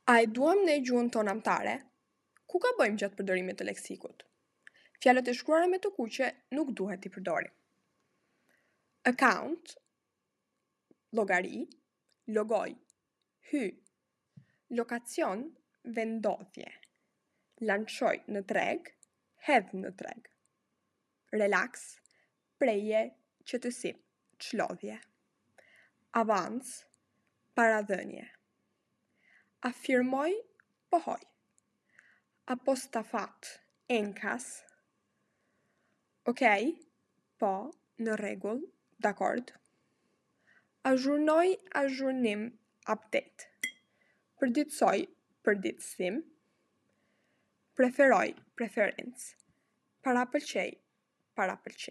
A e duam ne gjuhën tonë amtare? Ku gabojmë gjatë përdorimit të leksikut? Fjalët e shkruara me të kuqe nuk duhet t'i përdorim. Account, llogari, logoj, hy, lokacion, vendodhje, lançoj në treg, hedh në treg, relaks, preje, qetësim, çlodhje, avans, paradhënie. Afirmoj, pohoj. Apostafat, enkas. Okej, po, në rregull, dakord. Azhurnoj, azhurnim, update. Përditësoj, përditësim. Preferoj, preferencë. Parapëlqej, parapëlqim.